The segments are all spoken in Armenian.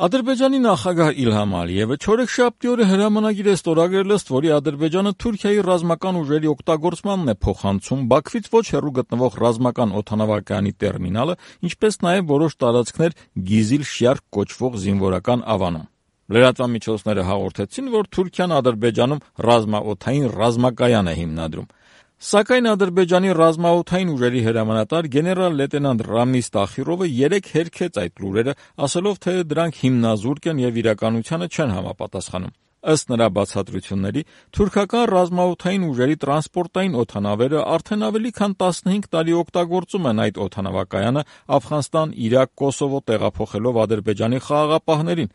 Ադրբեջանի նախագահ Իլհամ Ալիևը չորեքշաբթի օրը հրամանագիր է ստորագրել, ըստ որի Ադրբեջանը Թուրքիայի ռազմական ուժերի օգտագործմանն է փոխանցում Բաքվից ոչ հեռու գտնվող ռազմական օդանավակայանի տերմինալը, ինչպես նաև որոշ տարածքներ Գիզիլ Շիարք կոչվող զինվորական ավանում։ Լրատվամիջոցները հաղորդեցին, որ Թուրքիան Ադրբեջանում ռազմաօդային ռազմակայան է հիմնադրում։ Սակայն Ադրբեջանի ռազմաօդային ուժերի հրամանատար գեներալ լեյտենանտ Ռամիզ Տախիրովը երեկ հերքեց այդ լուրերը, ասելով, թե դրանք հիմնազուրկ են եւ իրականությանը չեն համապատասխանում։ Ըստ նրա բացատրությունների, թուրքական ռազմաօդային ուժերի տրանսպորտային օդանավերը արդեն ավելի քան 15 տարի օգտագործում են այդ օդանավակայանը Աֆղանստան, Իրաք, Կոսովո տեղափոխելով Ադրբեջանի խաղաղապահներին,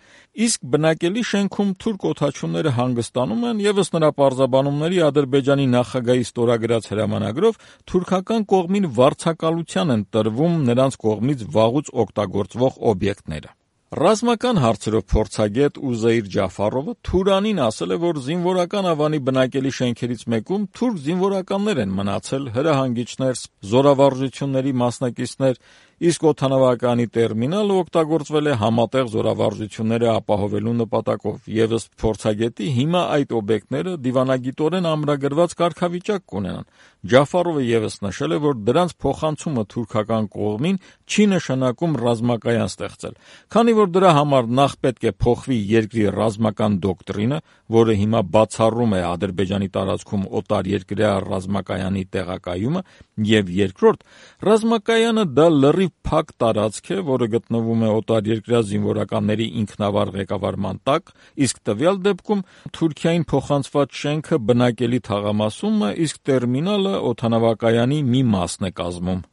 իսկ բնակելի շենքում թուրք օդաչուները հանգստանում են եւ ըստ նրա պարզաբանումների Ադրբեջանի նախագահի ստորագրած հրամանագրով թուրքական կողմին վարձակալության են տրվում նրանց կողմից վաղուց օգտագործվող օբյեկտները։ Ռազմական հարցերով փորձագետ Ուզեյր Ջաֆարովը Թուրանին ասել է, որ զինվորական ավանի բնակելի շենքերից մեկում թուրք զինվորականներ են մնացել, հրահանգիչներ, զորավարժությունների մասնակիցներ, իսկ օդանավակայանի տերմինալը օգտագործվել է համատեղ զորավարժությունները ապահովելու նպատակով, եւ ըստ փորձագետի հիմա այդ օբյեկտները դիվանագիտորեն ամրագրված կարգավիճակ կունենան։ Ջաֆարովը եւս նշել է, որ դրանց փոխանցումը թուրքական կողմին չի նշանակում ռազմակայան ստեղծել, քանի որ դրա համար նախ պետք է փոխվի երկրի ռազմական դոկտրինը, որը հիմա բացառում է Ադրբեջանի տարածքում օտարերկրյա ռազմակայանի տեղակայումը, եւ երկրորդ, ռազմակայանը դա լրիվ փակ տարածք է, որը գտնվում է օտարերկրյա զինվորականների ինքնավար ղեկավարման տակ, իսկ տվյալ դեպքում Թուրքիային փոխանցված շենքը բնակելի թաղամասում է, իսկ տերմինալը օդանավակայանի մի մասն է կազմում։